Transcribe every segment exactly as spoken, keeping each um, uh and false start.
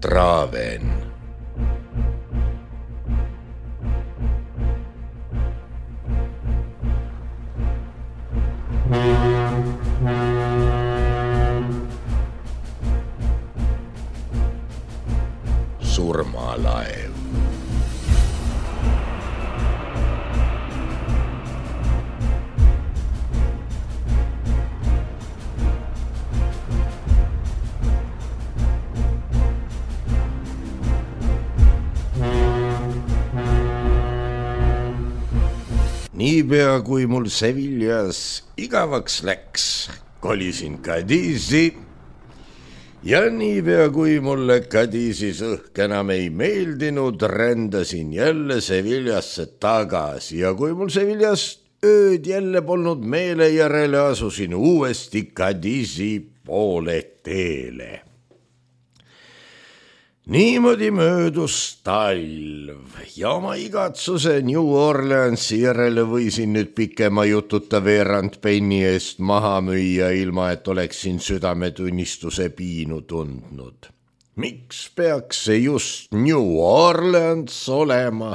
Traven. Surmalaev. Niipea kui mul Seviljas igavaks läks, kolisin Kadisi ja niipea kui mulle Kadisis õhk enam ei meeldinud, rändasin jälle Seviljasse tagasi ja kui mul Seviljas ööd jälle polnud meele järele, asusin uuesti Kadisi poole teele. Niimoodi möödus talv ja oma igatsuse New Orleansi järele võisin nüüd pikema jututa veerand penni eest maha müüa, ilma et oleksin südametunnistuse piinu tundnud. Miks peaks see just New Orleans olema?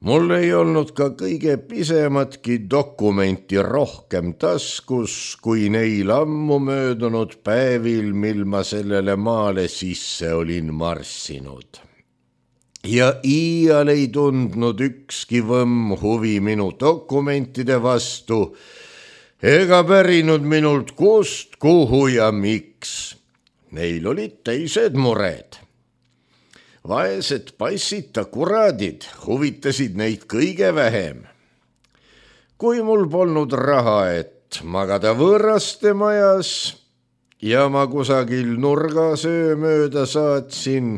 Mul ei olnud ka kõige pisematki dokumenti rohkem taskus, kui neil ammu möödunud päevil, mil ma sellele maale sisse olin marssinud. Ja iial ei tundnud ükski võmm huvi minu dokumentide vastu, ega pärinud minult kust, kuhu ja miks. Neil olid teised mured. Vaesed passita kuradid huvitasid neid kõige vähem. Kui mul polnud raha, et magada võõraste majas ja ma kusagil nurgas öö mööda saatsin,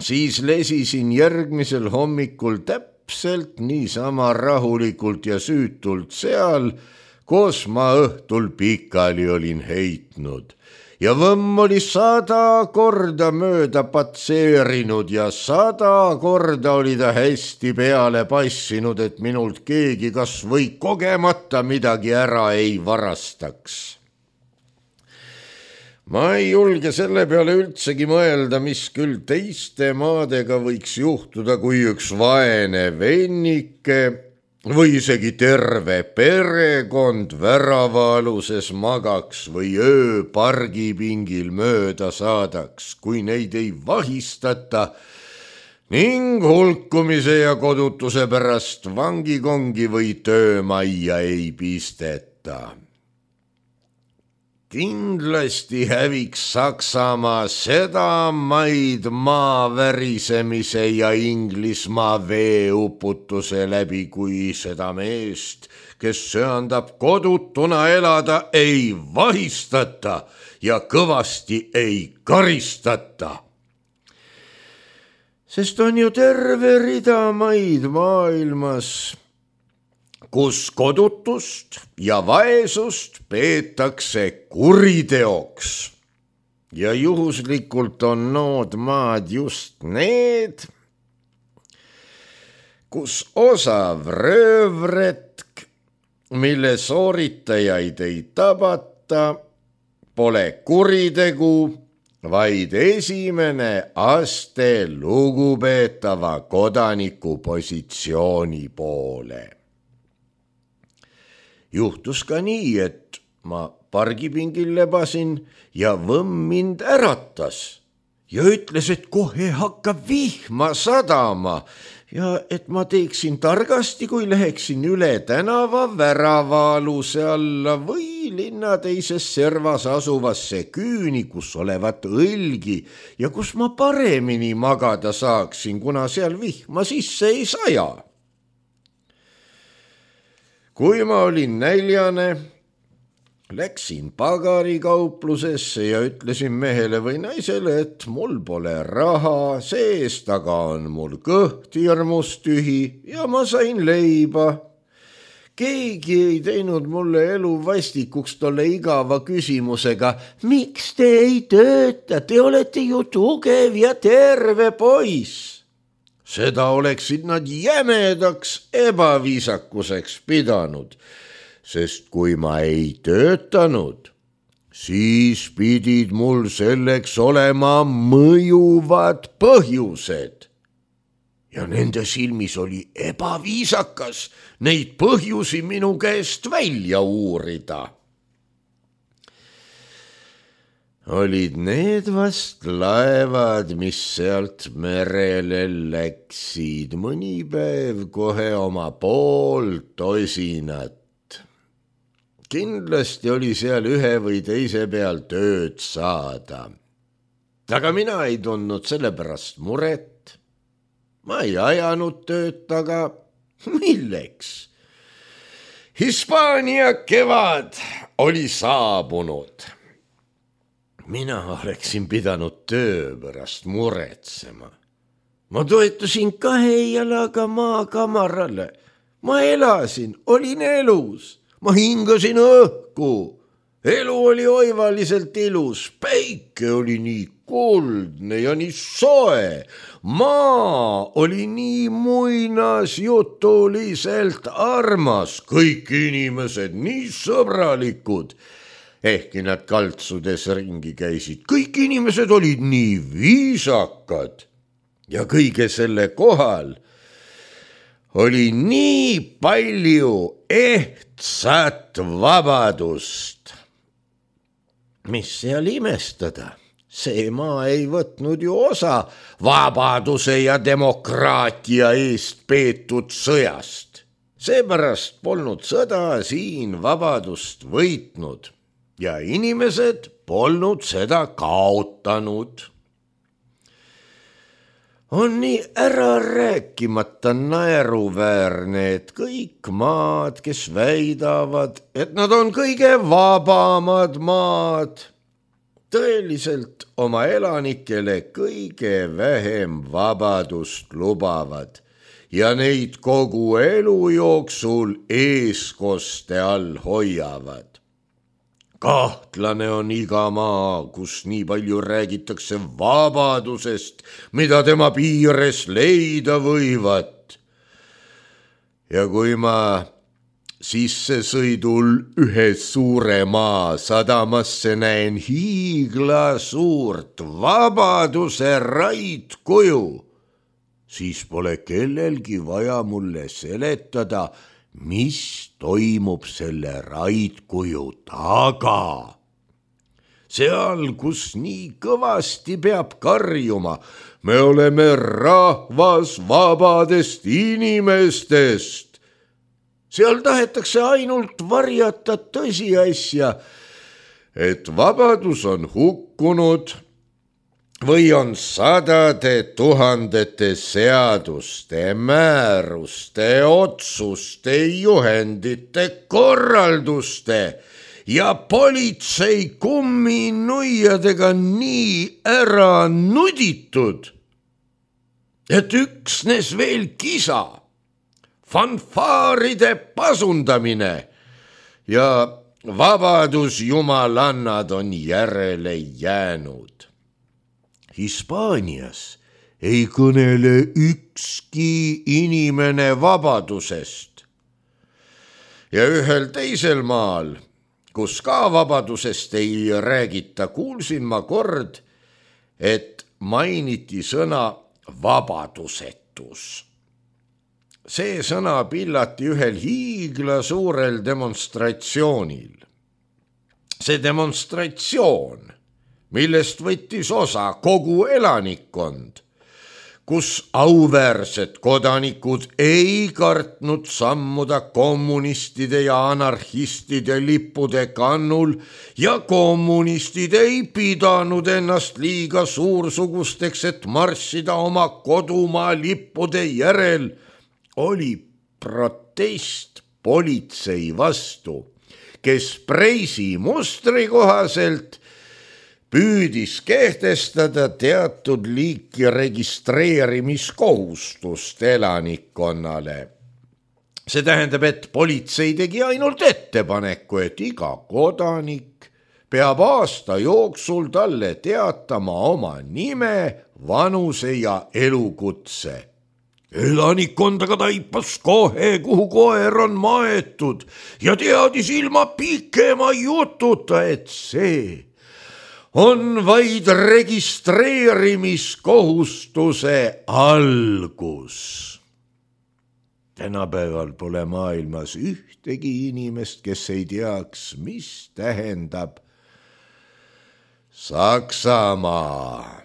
siis lesisin järgmisel hommikul täpselt niisama rahulikult ja süütult seal, kus ma õhtul pikali olin heitnud. Ja võmm oli sada korda mööda patseerinud ja sada korda oli ta hästi peale passinud, et minult keegi kas või kogemata midagi ära ei varastaks. Ma ei julge selle peale üldsegi mõelda, mis küll teiste maadega võiks juhtuda, kui üks vaene vennike või isegi terve perekond väravaaluses magaks või öö pargipingil mööda saadaks, kui neid ei vahistata ning hulkumise ja kodutuse pärast vangikongi või töömajja ei pisteta. Kindlasti häviks Saksamaa seda maid maa värisemise ja Inglismaa veeuputuse läbi, kui seda meest, kes söandab kodutuna elada, ei vahistata ja kõvasti ei karistata. Sest on ju terve rida maid maailmas, kus kodutust ja vaesust peetakse kuriteoks. Ja juhuslikult on nood maad just need, kus osav röövretk, mille sooritajaid ei tabata, pole kuritegu, vaid esimene aste lugupeetava kodaniku positsiooni poole. Juhtus ka nii, et ma pargipingil lebasin ja võmm mind äratas ja ütles, et kohe hakkab vihma sadama ja et ma teeksin targasti, kui läheksin üle tänava väravaaluse alla või linna teises servas asuvasse küüni, kus olevat õlgi ja kus ma paremini magada saaksin, kuna seal vihma sisse ei saja. Kui ma olin näljane, läksin pagarikauplusesse ja ütlesin mehele või naisele, et mul pole raha, seest aga on mul kõht hirmus tühi ja ma sain leiba. Keegi ei teinud mulle elu vastikuks tolle igava küsimusega, miks te ei tööta, te olete ju tugev ja terve poiss. Seda oleksid nad jämedaks ebaviisakuseks pidanud, sest kui ma ei töötanud, siis pidid mul selleks olema mõjuvad põhjused. Ja nende silmis oli ebaviisakas neid põhjusi minu käest välja uurida. Olid need vast laevad, mis sealt merele läksid, mõni päev kohe oma poolt osinat. Kindlasti oli seal ühe või teise peal tööd saada. Aga mina ei tundnud selle pärast muret. Ma ei ajanud tööd, aga milleks? Hispaania kevad oli saabunud. Mina oleksin pidanud töö pärast muretsema. Ma toetusin kahe jalaga maakamarale. Ma elasin, olin elus. Ma hingasin õhku. Elu oli oivaliselt ilus. Päike oli nii kuldne ja nii soe. Maa oli nii muinasjutuliselt armas. Kõik inimesed nii sõbralikud. Ehkki nad kaltsudes ringi käisid, kõik inimesed olid nii viisakad ja kõige selle kohal oli nii palju ehtsat vabadust. Mis seal imestada? See maa ei võtnud ju osa vabaduse ja demokraatia eest peetud sõjast. Seepärast polnud sõda siin vabadust võitnud. Ja inimesed polnud seda kaotanud. On nii ära rääkimata naeruväärne, et kõik maad, kes väidavad, et nad on kõige vabamad maad, tõeliselt oma elanikele kõige vähem vabadust lubavad ja neid kogu elu jooksul eeskoste all hoiavad. Kahtlane on iga maa, kus nii palju räägitakse vabadusest, mida tema piires leida võivat. Ja kui ma sissesõidul ühe suure maa sadamasse näen hiigla suurt vabaduse raidkuju, siis pole kellelgi vaja mulle seletada, mis toimub selle raidkuju taga. Seal, kus nii kõvasti peab karjuma, me oleme rahvas vabadest inimestest. Seal tahetakse ainult varjata tõsiasja, et vabadus on hukkunud või on sadade tuhandete seaduste, määruste, otsuste, juhendite, korralduste ja politsei kumminuiadega nii ära nuditud, et üksnes veel kisa, fanfaaride pasundamine ja vabadusjumalannad on järele jäänud. Hispaanias ei kõnele ükski inimene vabadusest. Ja ühel teisel maal, kus ka vabadusest ei räägita, kuulsin ma kord, et mainiti sõna vabadusetus. See sõna pillati ühel hiigla suurel demonstratsioonil. See demonstratsioon, millest võttis osa kogu elanikkond, kus auväärsed kodanikud ei kartnud sammuda kommunistide ja anarhistide lippude kannul ja kommunistid ei pidanud ennast liiga suursugusteks, et marssida oma kodumaa lippude järel, oli protest politsei vastu, kes Preisi mustri kohaselt püüdis kehtestada teatud liiki registreerimiskohustust elanikkonnale. See tähendab, et politsei tegi ainult ettepaneku, et iga kodanik peab aasta jooksul talle teatama oma nime, vanuse ja elukutse. elanikkondaga taipas kohe, kuhu koer on maetud ja teadis ilma pikema jututa, et see on vaid registreerimiskohustuse algus. Tänapäeval pole maailmas ühtegi inimest, kes ei teaks, mis tähendab Saksamaa.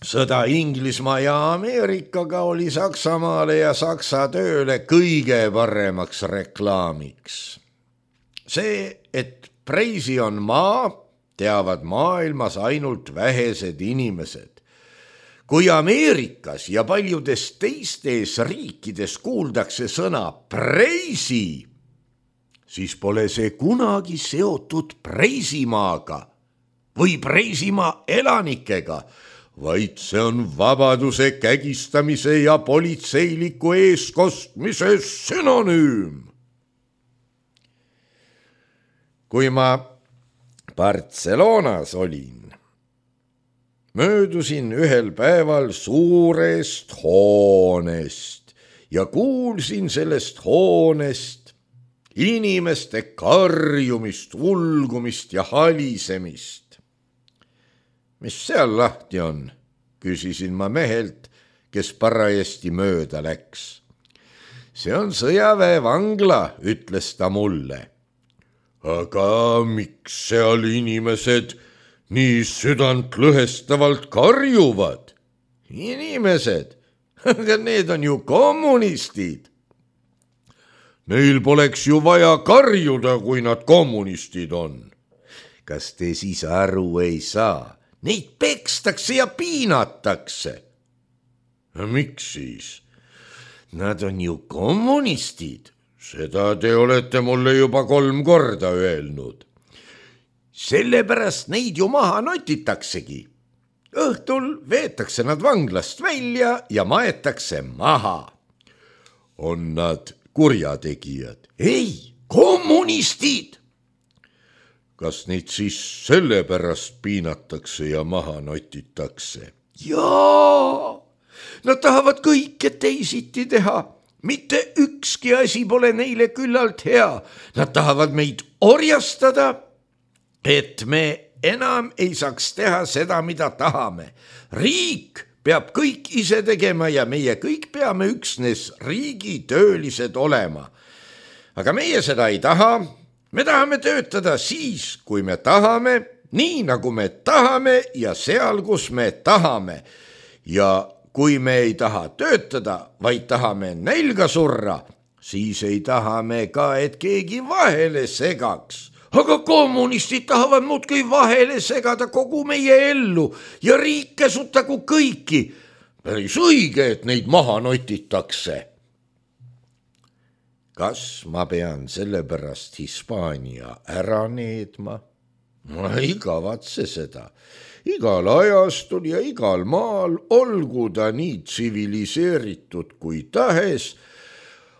Sõda Inglismaa ja Ameerikaga oli Saksamaale ja Saksa tööle kõige paremaks reklaamiks. See, et Preisi on maa, teavad maailmas ainult vähesed inimesed. Kui Ameerikas ja paljudes teistes riikides kuuldakse sõna Preisi, siis pole see kunagi seotud Preisimaaga või Preisimaa elanikega, vaid see on vabaduse kägistamise ja politseiliku eeskostmise sünonüüm. Kui ma Barcelonas olin, möödusin ühel päeval suurest hoonest ja kuulsin sellest hoonest inimeste karjumist, ulgumist ja halisemist. Mis seal lahti on, küsisin ma mehelt, kes parajasti mööda läks. See on sõjaväevangla, ütles ta mulle. Aga miks seal inimesed nii südantlõhestavalt karjuvad? Inimesed, aga need on ju kommunistid. Neil poleks ju vaja karjuda, kui nad kommunistid on. Kas te siis aru ei saa? Neid pekstakse ja piinatakse. Miks siis? Nad on ju kommunistid. Seda te olete mulle juba kolm korda öelnud. Sellepärast neid ju maha notitaksegi. Õhtul veetakse nad vanglast välja ja maetakse maha. On nad kurjategijad? Ei, kommunistid! Kas neid siis sellepärast piinatakse ja maha notitakse? Jaa, nad tahavad kõike teisiti teha. Mitte ükski asi pole neile küllalt hea. Nad tahavad meid orjastada, et me enam ei saaks teha seda, mida tahame. Riik peab kõik ise tegema ja meie kõik peame üksnes riigitöölised olema. Aga meie seda ei taha. Me tahame töötada siis, kui me tahame, nii nagu me tahame ja seal, kus me tahame. Ja kui me ei taha töötada, vaid tahame nälga surra, siis ei taha me ka, et keegi vahele segaks. Aga kommunistid tahavad muudkui vahele segada kogu meie ellu ja riik käsutagu kõiki. Päris õige, et neid maha notitakse. Kas ma pean sellepärast Hispaania ära needma? Ma ei kavatse seda. Igal ajastul ja igal maal, olgu ta nii tsiviliseeritud kui tahes,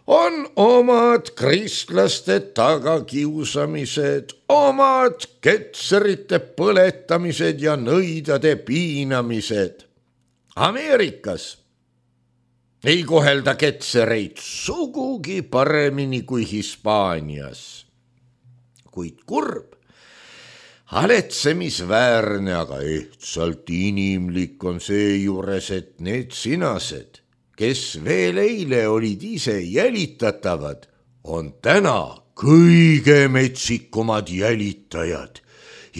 on omad kristlaste tagakiusamised, omad ketserite põletamised ja nõidade piinamised. Ameerikas ei kohelda ketsereid sugugi paremini kui Hispaanias. Kuid kurb, haletsemisväärne, aga ehtsalt inimlik on seejuures, et need sinased, kes veel eile olid ise jälitatavad, on täna kõige metsikumad jälitajad.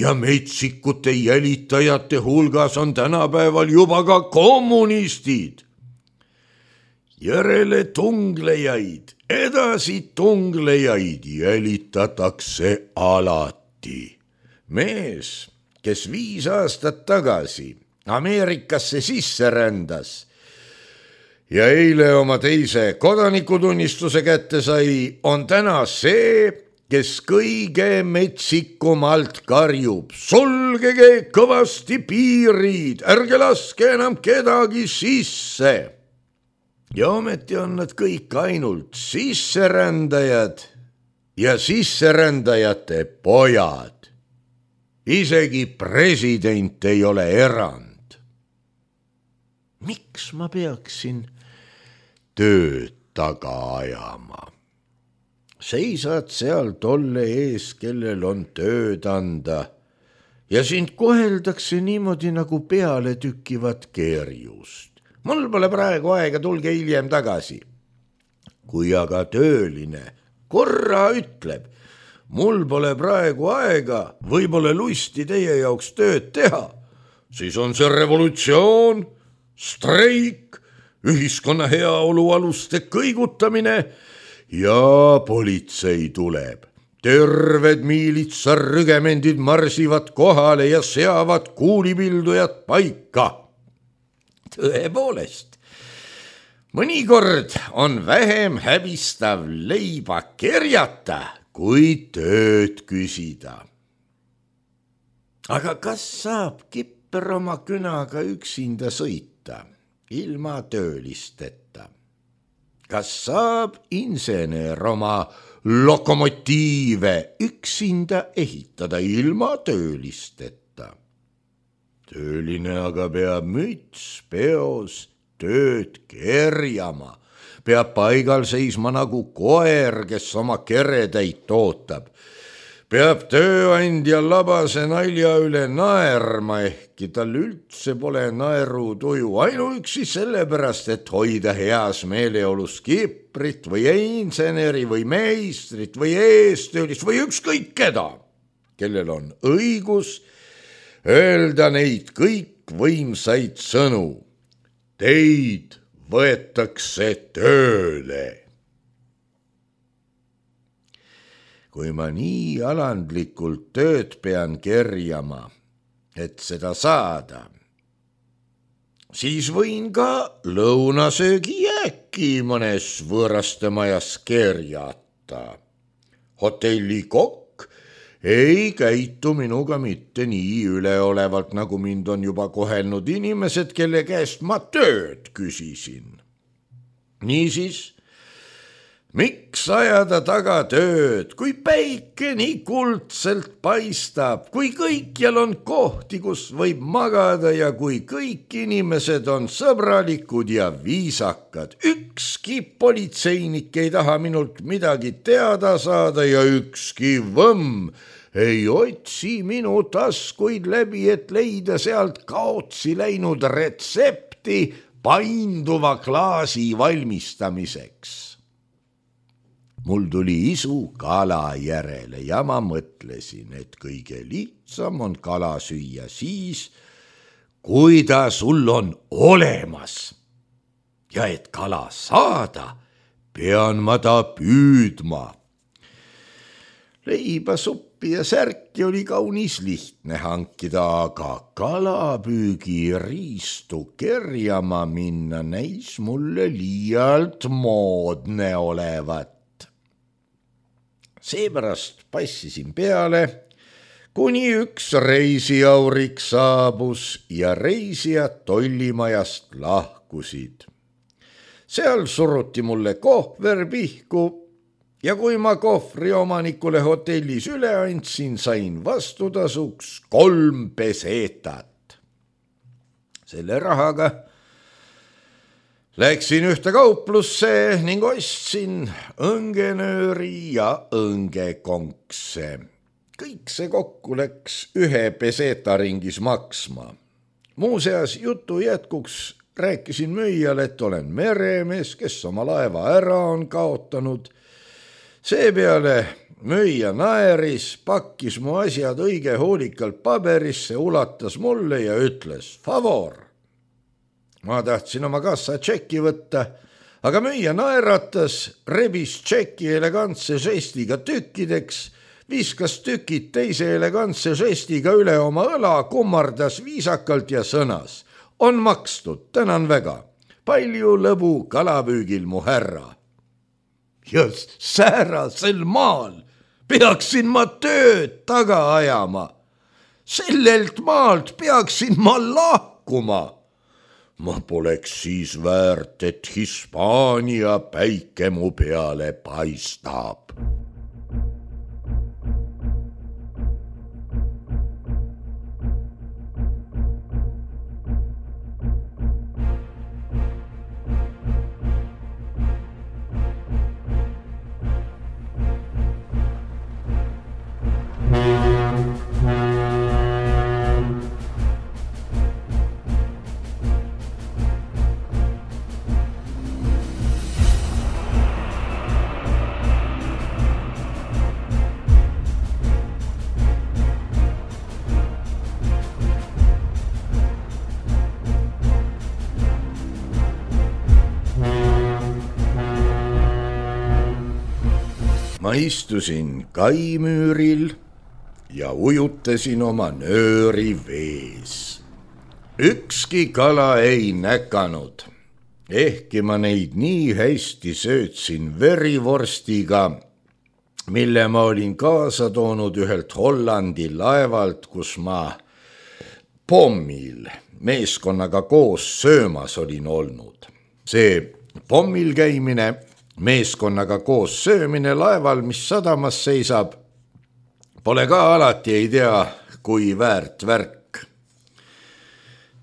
Ja metsikute jälitajate hulgas on tänapäeval juba ka kommunistid. Järele tunglejaid, edasi tunglejaid jälitatakse alati. Mees, kes viis aastat tagasi Ameerikasse sisse rändas ja eile oma teise kodanikutunnistuse kätte sai, on täna see, kes kõige metsikumalt karjub. Sulgege kõvasti piirid, ärge laske enam kedagi sisse. Ja ometi on nad kõik ainult sisserändajad ja sisserändajate pojad. Isegi president ei ole erand. Miks ma peaksin tööd taga ajama. Seisad seal tolle ees, kellel on tööd anda ja sind koheldakse niimoodi nagu peale tükivat kerjust. Mul pole praegu aega, tulge hiljem tagasi. Kui aga tööline korra ütleb, mul pole praegu aega, või pole lusti teie jaoks tööd teha, siis on see revolutsioon, streik, ühiskonna heaolu aluste kõigutamine ja politsei tuleb. Terved miilitsarrügemendid marsivad kohale ja seavad kuulipildujad paika. Tõepoolest, mõnikord on vähem häbistav leiba kerjata, kui tööd küsida. Aga kas saab kipper oma künaga üksinda sõita, ilma töölisteta? Kas saab insener oma lokomotiive üksinda ehitada ilma töölisteta? Tööline aga peab müts peos tööd kerjama, peab paigal seisma nagu koer, kes oma keretäit ootab. Peab tööandja labase nalja üle naerma, ehkki tal üldse pole naerutuju, ainuüksi sellepärast, et hoida heas meeleolus kiprit või inseneri või meistrit või eestöölist või ükskõik keda, kellel on õigus öelda neid kõik võimsaid sõnu. Teid võetakse tööle. Kui ma nii alandlikult tööd pean kerjama, et seda saada, siis võin ka lõunasöögi jääki mõnes võõraste majas kerjata. Hotellikokk ei käitu minuga mitte nii üleolevalt, nagu mind on juba kohelnud inimesed, kelle käest ma tööd küsisin. Niisiis, miks ajada taga tööd, kui päike nii kuldselt paistab, kui kõikjal on kohti, kus võib magada ja kui kõik inimesed on sõbralikud ja viisakad. Ükski politseinik ei taha minult midagi teada saada ja ükski võmm ei otsi minu taskuid läbi, et leida sealt kaotsi läinud retsepti painduva klaasi valmistamiseks. Mul tuli isu kala järele ja ma mõtlesin, et kõige lihtsam on kala süüa siis, kui ta sul on olemas. Ja et kala saada, pean ma ta püüdma. Leiba, suppi ja särki oli kaunis lihtne hankida, aga kalapüügi riistu kerjama minna näis mulle liialt moodne olevat. Seepärast passisin peale, kuni üks reisijaurik saabus ja reisijad tollimajast lahkusid. Seal suruti mulle kohver pihku ja kui ma kohvri omanikule hotellis üle andsin, sain vastutasuks kolm pesetat. Selle rahaga läksin ühte kauplusse ning ostsin õngenööri ja õngekonkse. Kõik see kokku läks ühe peseta ringis maksma. Muuseas, jutu jätkuks rääkisin müüjale, et olen meremees, kes oma laeva ära on kaotanud. Seepeale müüja naeris, pakkis mu asjad õige hoolikalt paberisse, ulatas mulle ja ütles favor. Ma tahtsin oma kassa tšeki võtta, aga müüja naeratas, rebis tšeki elegantse žestiga tükkideks, viskas tükid teise elegantse žestiga üle oma õla, kummardas viisakalt ja sõnas. On makstud, tänan väga. Palju lõbu kalapüügil, mu härra. Ja säärasel maal peaksin ma tööd taga ajama. Sellelt maalt peaksin ma lahkuma. Ma poleks siis väärt, et Hispaania päike mu peale paistab. ma istusin kaimüüril ja ujutasin oma nööri vees. Ükski kala ei näkanud, ehkki ma neid nii hästi söötsin verivorstiga, mille ma olin kaasa toonud ühelt Hollandi laevalt, kus ma pommil meeskonnaga koos söömas olin olnud. See pommil käimine, meeskonnaga koos söömine laeval, mis sadamas seisab, pole ka alati ei tea, kui väärt värk.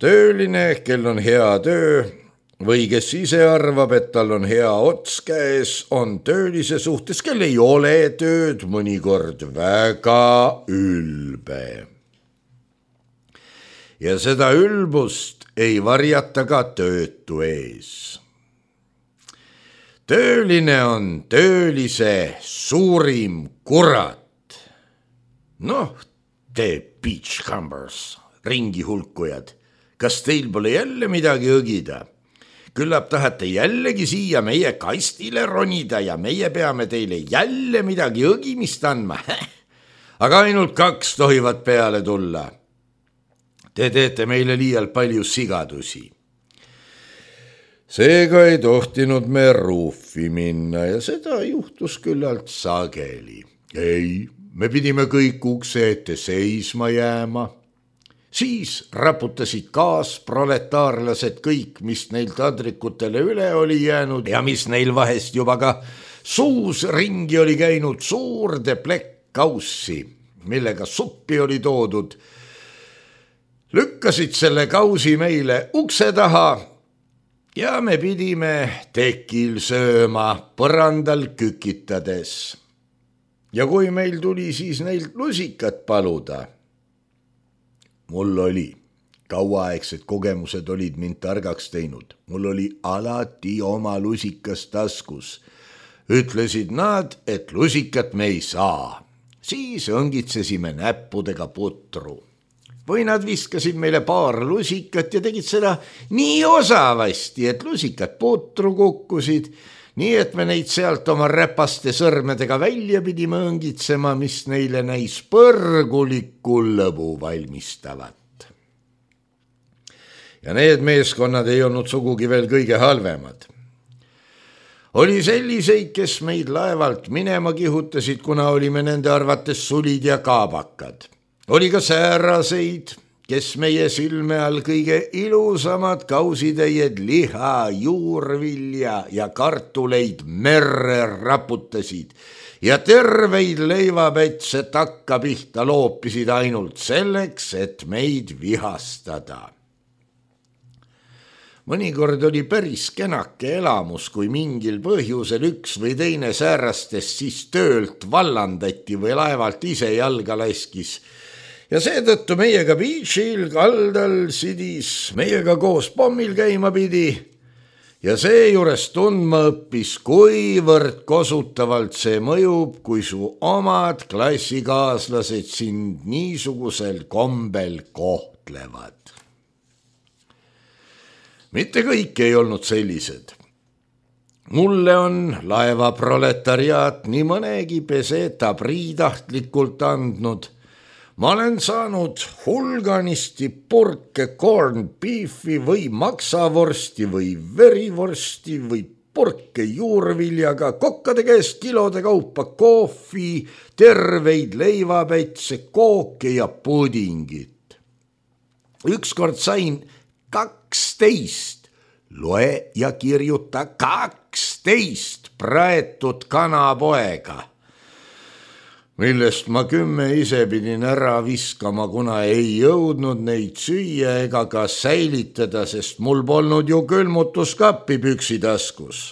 Tööline, kel on hea töö või kes ise arvab, et tal on hea ots käes, on töölise suhtes, kel ei ole tööd, mõnikord väga ülbe. Ja seda ülbust ei varjata ka töötu ees. Tööline on töölise suurim kurat. Noh, te beachcombers, ringi hulkujad, kas teil pole jälle midagi õgida? Küllap tahate jällegi siia meie kastile ronida ja meie peame teile jälle midagi õgimist andma. Aga ainult kaks tohivad peale tulla. Te teete meile liialt palju sigadusi. Seega ei tohtinud me ruufi minna ja seda juhtus küllalt sageli. Ei, me pidime kõik ukse ette seisma jääma. Siis raputasid kaasproletaarlased kõik, mis neil tadrikutele üle oli jäänud ja mis neil vahest juba ka suus ringi oli käinud suurde plekkkaussi, millega suppi oli toodud. Lükkasid selle kausi meile ukse taha ja me pidime tekil sööma põrandal kükitades. Ja kui meil tuli siis neilt lusikat paluda, mul oli, kauaaegsed kogemused olid mind targaks teinud. Mul oli alati oma lusikas taskus. Ütlesid nad, et lusikat me ei saa. Siis õngitsesime näppudega putru. Või nad viskasid meile paar lusikat ja tegid seda nii osavasti, et lusikat putru kukkusid, nii et me neid sealt oma räpaste sõrmedega välja pidime õngitsema, mis neile näis põrgulikku lõbu valmistavat. Ja need meeskonnad ei olnud sugugi veel kõige halvemad. Oli selliseid, kes meid laevalt minema kihutasid, kuna olime nende arvates sulid ja kaabakad. Oli ka sääraseid, kes meie silme all kõige ilusamad kausitäied liha, juurvilja ja kartuleid merre raputasid ja terveid leivapätse takka pihta loopisid ainult selleks, et meid vihastada. Mõnikord oli päris kenake elamus, kui mingil põhjusel üks või teine säärastest siis töölt vallandati või laevalt ise jalga laskis. Ja seetõttu meiega beachil kaldal sidis, meiega koos pommil käima pidi ja seejuures tundma õppis, kuivõrd kosutavalt see mõjub, kui su omad klassikaaslased sind niisugusel kombel kohtlevad. Mitte kõik ei olnud sellised. Mulle on laeva proletariaat nii mõnegi peseta priitahtlikult andnud. Ma olen saanud hulganisti purke corned beefi või maksavorsti või verivorsti või purke juurviljaga, kokkade käest kilode kaupa kohvi, terveid leivapätse, kooke ja pudingit. Ükskord sain kaksteist, loe ja kirjuta kaksteist praetud kanapoega, millest ma kümme ise pidin ära viskama, kuna ei jõudnud neid süüa ega ka säilitada, sest mul polnud ju külmutuskappi püksitaskus.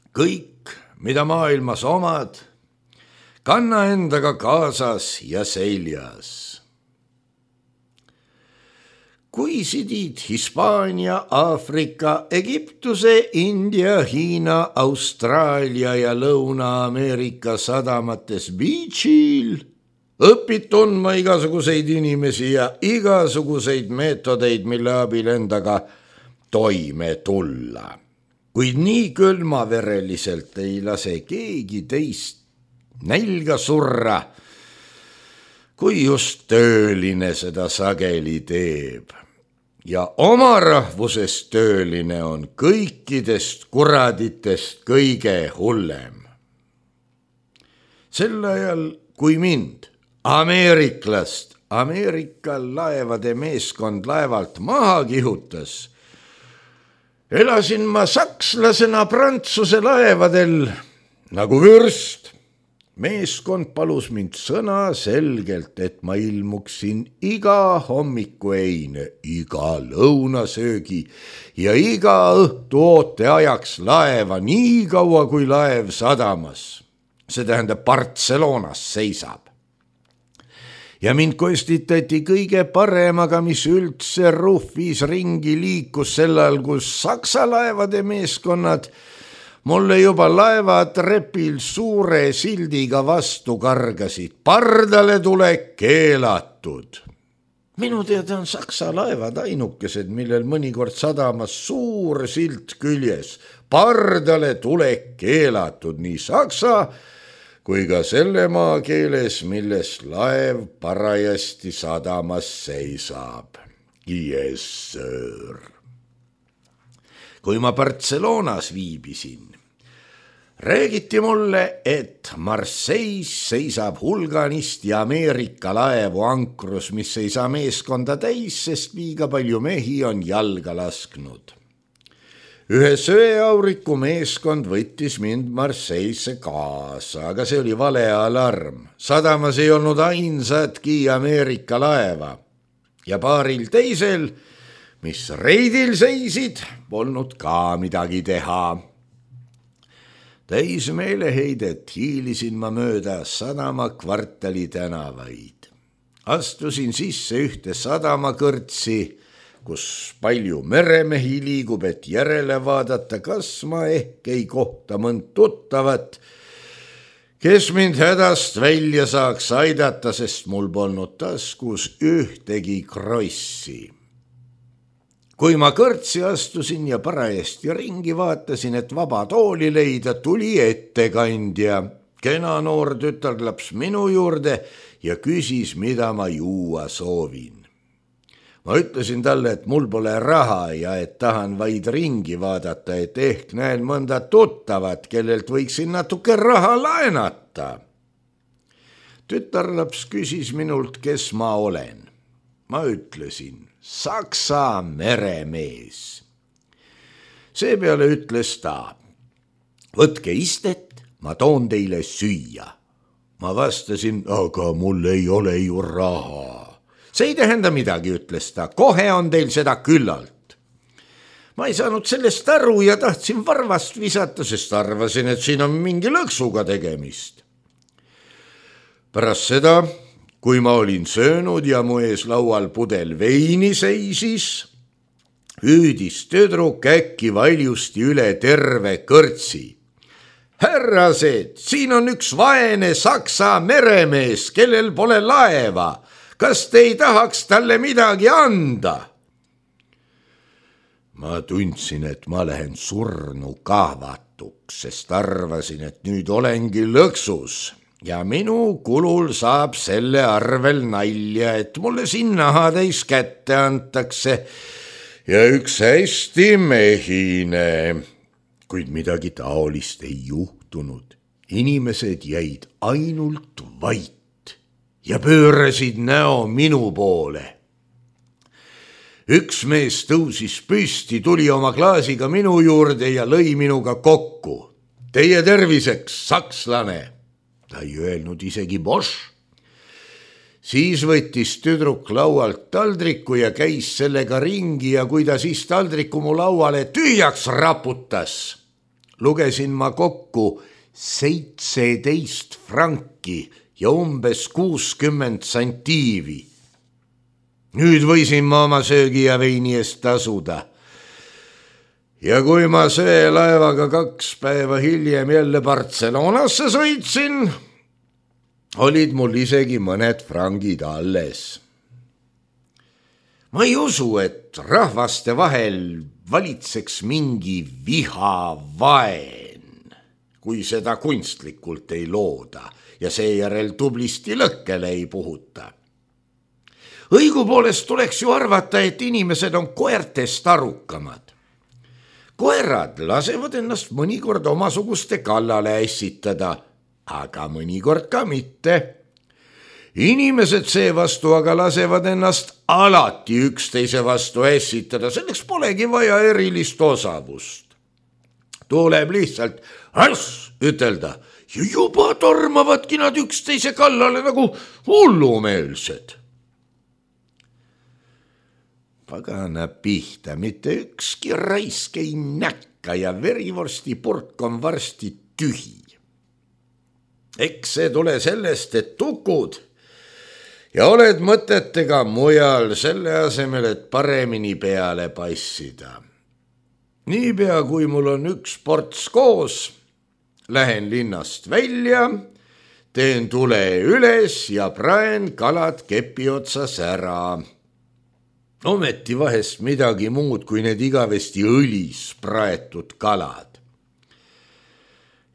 Kõik, mida maailmas omad, kanna endaga kaasas ja seljas. Kui sidid Hispaania, Aafrika, Egiptuse, India, Hiina, Austraalia ja Lõuna-Ameerika sadamates beachil, õpid tundma igasuguseid inimesi ja igasuguseid meetodeid, mille abil endaga toime tulla. Kuid nii külmavereliselt ei lase keegi teist nälga surra, kui just tööline seda sageli teeb. Ja oma rahvusest tööline on kõikidest kuraditest kõige hullem. Sel ajal, kui mind, ameeriklast, Ameerika laevade meeskond laevalt maha kihutas, elasin ma sakslasena Prantsuse laevadel nagu vürst. Meeskond palus mind sõna selgelt, et ma ilmuksin iga hommikueine, iga lõunasöögi ja iga õhtu oote ajaks laeva nii kaua, kui laev sadamas, see tähendab Barcelonas seisab. Ja mind kostitati kõige paremaga, mis üldse Ruhvis ringi liikus sellal, kus saksa laevade meeskonnad mulle juba laevatrepil suure sildiga vastu kargasid. Pardale tulek keelatud. Minu teada on saksa laevad ainukesed, millel mõnikord sadamas suur silt küljes. Pardale tulek keelatud nii saksa kui ka selle maakeeles, milles laev parajasti sadamas seisab. Yes, sir. Kui ma Barcelonas viibisin, räägiti mulle, et Marseilles seisab hulganisti Ameerika laevu ankrus, mis ei saa meeskonda täis, sest liiga palju mehi on jalga lasknud. Ühe söeauriku meeskond võttis mind Marseille'sse kaasa, aga see oli vale alarm. Sadamas ei olnud ainsatki Ameerika laeva ja paaril teisel, mis reidil seisid, polnud ka midagi teha. Täis meeleheidet hiilisin ma mööda sadama kvartali tänavaid. Astusin sisse ühte sadamakõrtsi, kus palju meremehi liigub, et järele vaadata, kas ma ehk ei kohta mõnd tuttavat, kes mind hädast välja saaks aidata, sest mul polnud taskus ühtegi krossi. Kui ma kõrtsi astusin ja parajasti ringi vaatasin, et vaba tooli leida, tuli ettekandja, kena noor tütarlaps minu juurde ja küsis, mida ma juua soovin. Ma ütlesin talle, et mul pole raha ja et tahan vaid ringi vaadata, et ehk näen mõnda tuttavat, kellelt võiksin natuke raha laenata. Tütarlaps küsis minult, kes ma olen. Ma ütlesin, Saksa meremees. Seepeale ütles ta, võtke istet, ma toon teile süüa. Ma vastasin, aga mul ei ole ju raha. See ei tähenda midagi, ütles ta, kohe on teil seda küllalt. Ma ei saanud sellest aru ja tahtsin varvast visata, sest arvasin, et siin on mingi lõksuga tegemist. Pärast seda, kui ma olin söönud ja mu ees laual pudel veini seisis, hüüdis tüdruk äkki valjusti üle terve kõrtsi. Härrased, siin on üks vaene saksa meremees, kellel pole laeva. Kas te ei tahaks talle midagi anda? Ma tundsin, et ma lähen surnu kahvatuks, sest arvasin, et nüüd olengi lõksus ja minu kulul saab selle arvel nalja, et mulle siin nahatäis kätte antakse ja üks hästi mehine. Kuid midagi taolist ei juhtunud. Inimesed jäid ainult vait ja pöörasid näo minu poole. Üks mees tõusis püsti, tuli oma klaasiga minu juurde ja lõi minuga kokku. Teie terviseks, sakslane. Ta ei öelnud isegi Bosch. Siis võttis tüdruk laualt taldriku ja käis sellega ringi ja kui ta siis taldriku mu lauale tühjaks raputas, lugesin ma kokku seitseteist franki ja umbes kuuskümmend santiivi. Nüüd võisin ma oma söögi ja veini eest tasuda. Ja kui ma söelaevaga kaks päeva hiljem jälle Barcelonasse sõitsin, olid mul isegi mõned frangid alles. Ma ei usu, et rahvaste vahel valitseks mingi vihavaen, kui seda kunstlikult ei looda. ja seejärel tublisti lõkkele ei puhuta. Õigupoolest tuleks ju arvata, et inimesed on koertest arukamad. Koerad lasevad ennast mõnikord omasuguste kallale ässitada, aga mõnikord ka mitte. Inimesed seevastu aga lasevad ennast alati üksteise vastu ässitada, selleks polegi vaja erilist osavust. Tuleb lihtsalt äss ütelda ja juba tormavadki nad üksteise kallale nagu hullumeelsed. Pagana pihta, mitte ükski raisk ei näkka ja verivorsti purk on varsti tühi. Eks see tule sellest, et tukud ja oled mõtetega mujal selle asemel, et paremini peale passida. Niipea, kui mul on üks ports koos, lähen linnast välja, teen tule üles ja praen kalad kepi otsas ära. Ometi vahest midagi muud kui need igavesti õlis praetud kalad.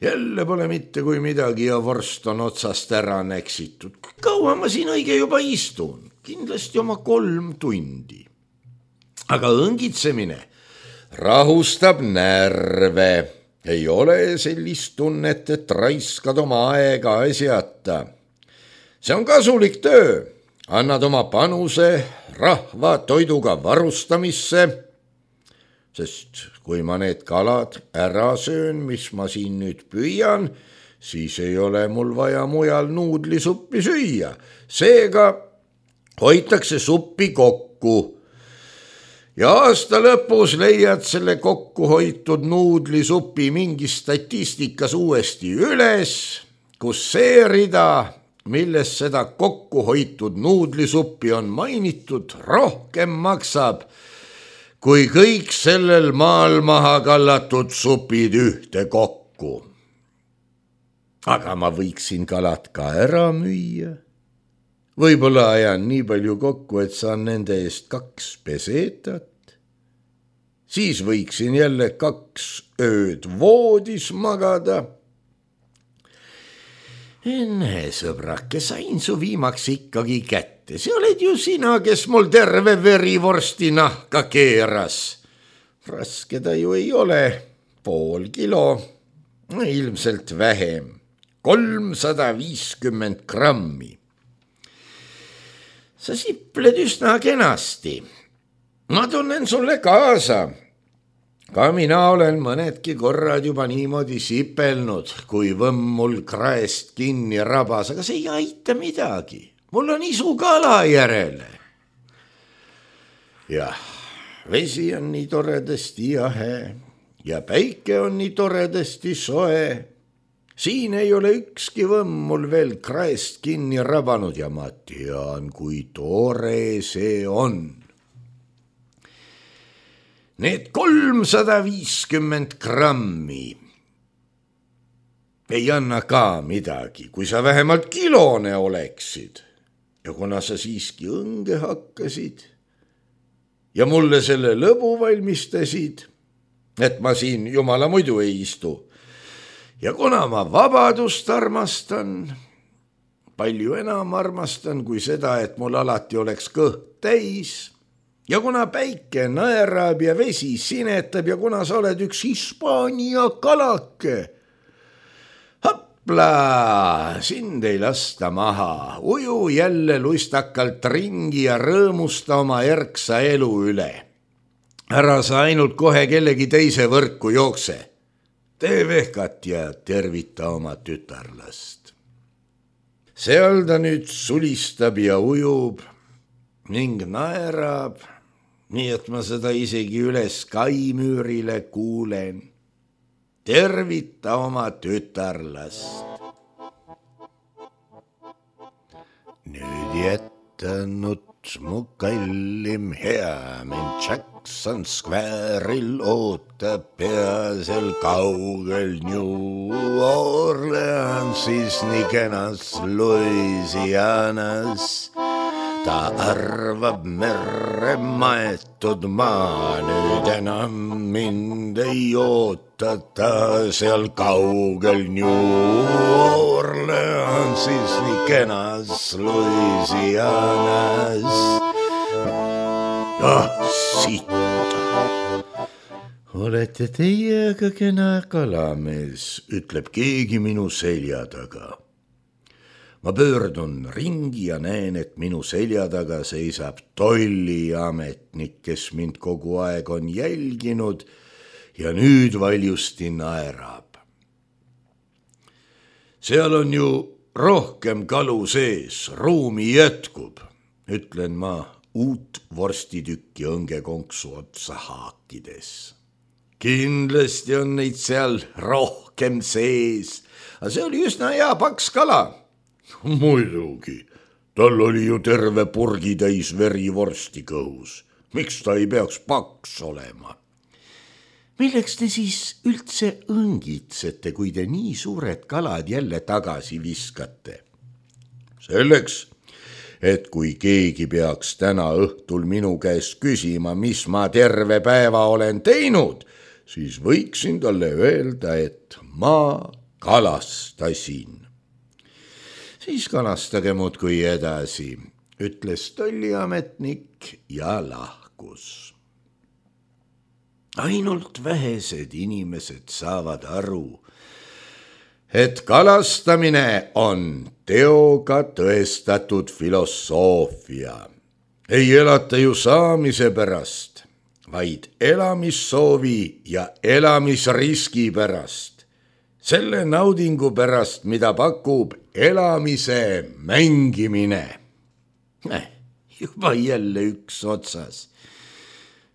Jälle pole mitte kui midagi ja vorst on otsast ära näksitud. Kaua ma siin õige juba istun? Kindlasti oma kolm tundi. Aga õngitsemine rahustab närve. Ei ole sellist tunnet, et raiskad oma aega asjata. See on kasulik töö. Annad oma panuse rahva toiduga varustamisse, sest kui ma need kalad ära söön, mis ma siin nüüd püüan, siis ei ole mul vaja mujal nuudlisuppi süüa. Seega hoitakse suppi kokku. Ja aasta lõpus leiad selle kokku hoitud nuudlisupi mingi statistikas uuesti üles, kus see rida, milles seda kokku hoitud nuudlisuppi on mainitud, rohkem maksab, kui kõik sellel maal maha kallatud supid ühte kokku. Aga ma võiksin kalad ka ära müüa. Võib-olla ajan nii palju kokku, et saan nende eest kaks pesetat. Siis võiksin jälle kaks ööd voodis magada. Enne, sõbrake, sain su viimaks ikkagi kätte. See oled ju sina, kes mul terve verivorsti nahka keeras. Raske ta ju ei ole. Pool kilo, ilmselt vähem. kolmsada viiskümmend grammi. Sa sipled üsna kenasti. Ma tunnen sulle kaasa. Ka mina olen mõnedki korrad juba niimoodi sipelnud, kui võmm mul kraest kinni rabas, aga see ei aita midagi. Mul on isu kala järele. Jah, vesi on nii toredasti jahe ja päike on nii toredasti soe. Siin ei ole ükski võmm mul veel kraest kinni rabanud ja ma tean, kui tore see on. Need kolmsada viiskümmend grammi ei anna ka midagi, kui sa vähemalt kilone oleksid. Ja kuna sa siiski õnge hakkasid ja mulle selle lõbu valmistasid, et ma siin jumala muidu ei istu. Ja kuna ma vabadust armastan, palju enam armastan kui seda, et mul alati oleks kõht täis. Ja kuna päike naerab ja vesi sinetab ja kuna sa oled üks Hispaania kalake, hopla, sind ei lasta maha, uju jälle lustakalt ringi ja rõõmusta oma erksa elu üle. Ära sa ainult kohe kellegi teise võrku jookse. Tee vehkat ja tervita oma tütarlast. Seal ta nüüd sulistab ja ujub ning naerab, nii et ma seda isegi üles kaimüürile kuulen. Tervita oma tütarlast. Nüüd jätanud mu kallim hea, mind Jackson Square'il ootab peasel kaugel New Orleansis, nii kenas Louisianas. ta arvab merre maetud maa, nüüd enam mind ei ootata seal kaugel New Orleansis, nii kenas Louisianas. Ah, siit. Olete teie aga kena kalamees, ütleb keegi minu selja taga. Ma pöördun ringi ja näen, et minu selja taga seisab tolliametnik, kes mind kogu aeg on jälginud ja nüüd valjusti naerab. Seal on ju rohkem kalu sees, ruumi jätkub, ütlen ma uut vorstitukki õngekonksu otsa haakides. Kindlasti on neid seal rohkem sees, aga see oli üsna hea paks kala. Muidugi, tal oli ju terve purgitäis verivorsti kõhus. Miks ta ei peaks paks olema? Milleks te siis üldse õngitsete, kui te nii suured kalad jälle tagasi viskate? Selleks, et kui keegi peaks täna õhtul minu käest küsima, mis ma terve päeva olen teinud, siis võiksin talle öelda, et ma kalastasin. Siis kalastage muudkui edasi, ütles tolliametnik ja lahkus. Ainult vähesed inimesed saavad aru, et kalastamine on teoga tõestatud filosoofia. Ei elata ju saamise pärast, vaid elamissoovi ja elamisriski pärast. Selle naudingu pärast, mida pakub elamise mängimine. Eh, juba jälle üks otsas.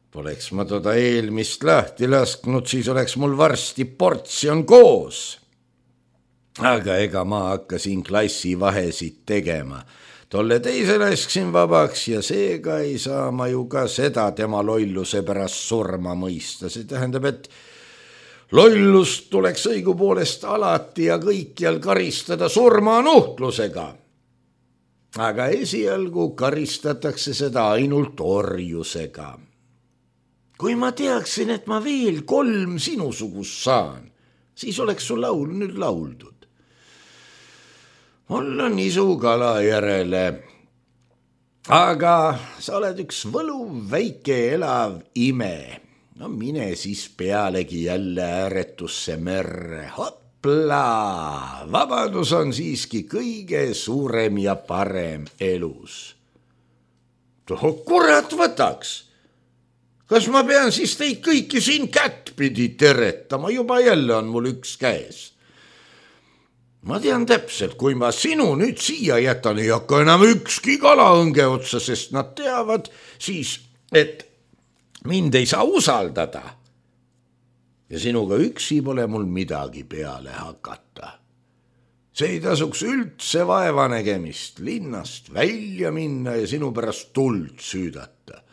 Poleks ma toda eelmist lahti lasknud, siis oleks mul varsti portsjon koos. Aga ega ma hakkasin klassi vahesid tegema. Tolle teise lasksin vabaks ja seega ei saa ma ju ka seda tema lolluse pärast surma mõista. See tähendab, et lollust tuleks õigupoolest alati ja kõikjal karistada surmanuhtlusega. Aga esialgu karistatakse seda ainult orjusega. Kui ma teaksin, et ma veel kolm sinusugust saan, siis oleks su laul nüüd lauldud. Mul on isu kala järele, aga sa oled üks võluv väike elav ime. No mine siis pealegi jälle ääretusse merre. Hopla! Vabadus on siiski kõige suurem ja parem elus. Toho kurat võtaks! Kas ma pean siis teid kõiki siin kättpidi teretama? Juba jälle on mul üks käes. Ma tean täpselt, kui ma sinu nüüd siia jätan, ei hakka enam ükski kalaõnge otsa, sest nad teavad siis, et mind ei saa usaldada. Ja sinuga üksi pole mul midagi peale hakata. See ei tasuks üldse vaeva nägemist, linnast välja minna ja sinu pärast tuld süüdata.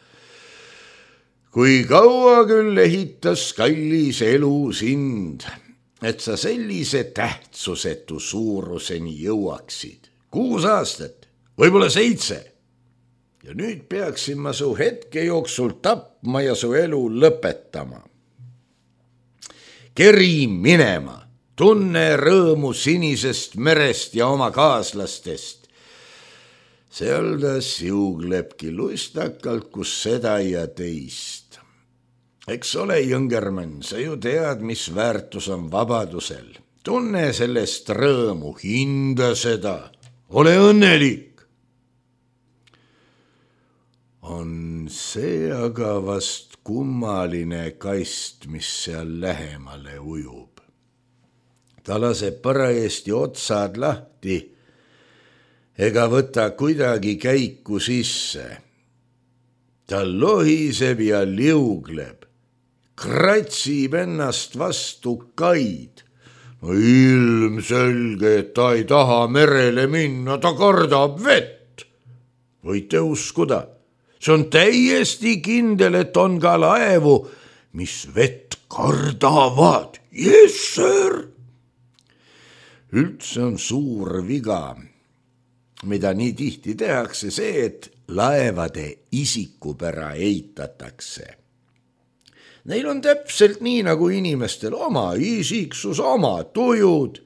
Kui kaua küll ehitas kallis elu sind, et sa sellise tähtsusetu suuruseni jõuaksid. Kuus aastat, võib-olla seitse. Ja nüüd peaksin ma su hetke jooksul tapma ja su elu lõpetama. Keri minema, tunne rõõmu sinisest merest ja oma kaaslastest. Seal ta siuglebki lustakalt, kus seda ja teist. Eks ole, Jõngermann, sa ju tead, mis väärtus on vabadusel. Tunne sellest rõõmu, hinda seda, ole õnnelik. On see aga vast kummaline kast, mis seal lähemale ujub. Ta laseb parajasti otsad lahti ega võta kuidagi käiku sisse. Ta lohiseb ja liugleb. Kratsib ennast vastu kaid. No ilmselge, et ta ei taha merele minna, ta kardab vett. Võite uskuda, see on täiesti kindel, et on ka laevu, mis vett kardavad. Yes, sir! Üldse on suur viga, mida nii tihti tehakse, see, et laevade isikupära eitatakse. Neil on täpselt nii nagu inimestel oma isiksus, oma tujud.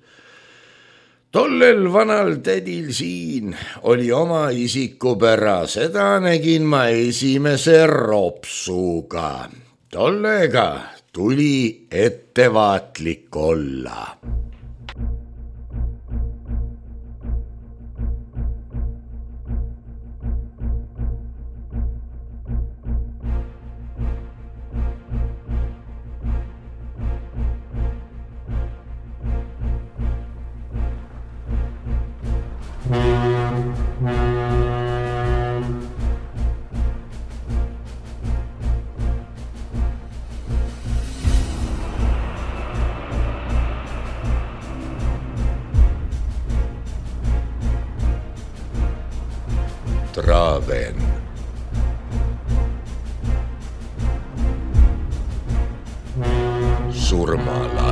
Tollel vanal tädil siin oli oma isikupära, seda nägin ma esimese ropsuga. Tollega tuli ettevaatlik olla. Traven. Surmala.